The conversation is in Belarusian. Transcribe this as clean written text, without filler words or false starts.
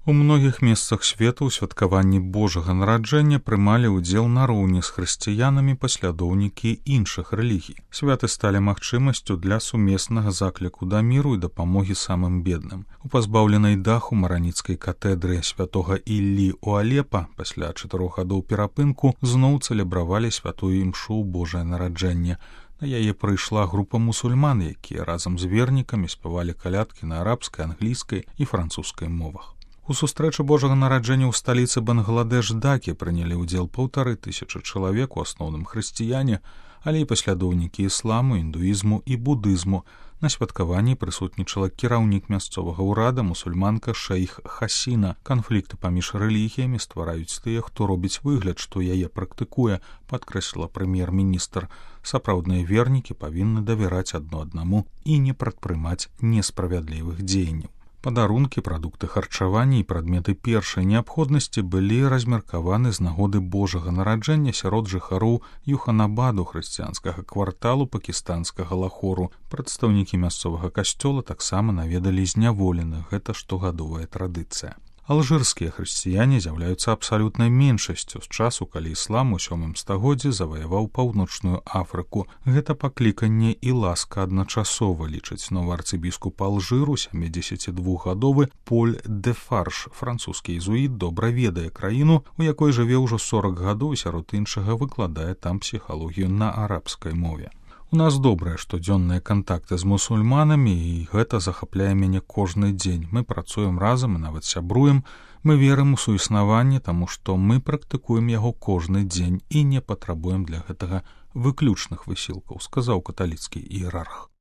У многіх месцах свету ў святкаванні Божага нараджэння прымалі ўдзел нароўні з хрысціянамі паслядоўнікі іншых рэлігій. Святы сталі магчымасцю для сумеснага закліку да міру і дапамогі самым бедным. У пазбаўленай даху мараніцкай катедры святога Іллі ў Алепа пасля 4 гадоў перапынку зноў цэлебравалі святую імшу ў Божае нараджэнне. На яе прыйшла група мусульман, якія разам з вернікамі спявалі калядкі на арабскай, англійскай і французскай мовах. У сустрэчы Божага нараджэння ў сталіцы Бангладеш Дакі прынялі ўдзел 1500 чалавек, у асноўным хрысціяне, але і паслядоўнікі ісламу, індуізму і будызму. На святкаванні прысутнічала кіраўнік мясцовага ўрада, мусульманка шэйх Хасіна. Канфлікты паміж рэлігіямі ствараюць тыя, хто робіць выгляд, што яе практыкуе, падкрэсліла прэм'ер-міністр. Сапраўдныя вернікі павінны давяраць адно аднаму і не прадпрымаць несправядлівых дзеянняў. Падарункі, прадукты харчавання і прадметы першай неабходнасці былі размеркаваны з нагоды Божага нараджэння сярод жыхароў Юханабаду, хрысціянскага кварталу пакістанскага Лахору. Прадстаўнікі мясцовага касцёла таксама наведалі зняволеных. Гэта штогадовая традыцыя. Алжырскія хрысціяне з'яўляюцца абсалютнай меншасцю з часу, калі іслам у 7 стагоддзі заваяваў паўночную Афрыку. Гэта пакліканне і ласка адначасова, лічыць новы арцыбіскуп Алжыру, 72гадовы Поль де Фарш. Французскі езуіт добра ведае краіну, у якой жыве ўжо 40 гадоў, сярод іншага выкладае там псіхалогію на арабскай мове. У нас добрыя штодзённыя кантакты з мусульманамі, і гэта захапляе мяне кожны дзень. Мы працуем разам і нават сябруем. Мы верым у суіснаванне, таму што мы практыкуем яго кожны дзень і не патрабуем для гэтага выключных высілкаў, сказаў каталіцкі іерарх.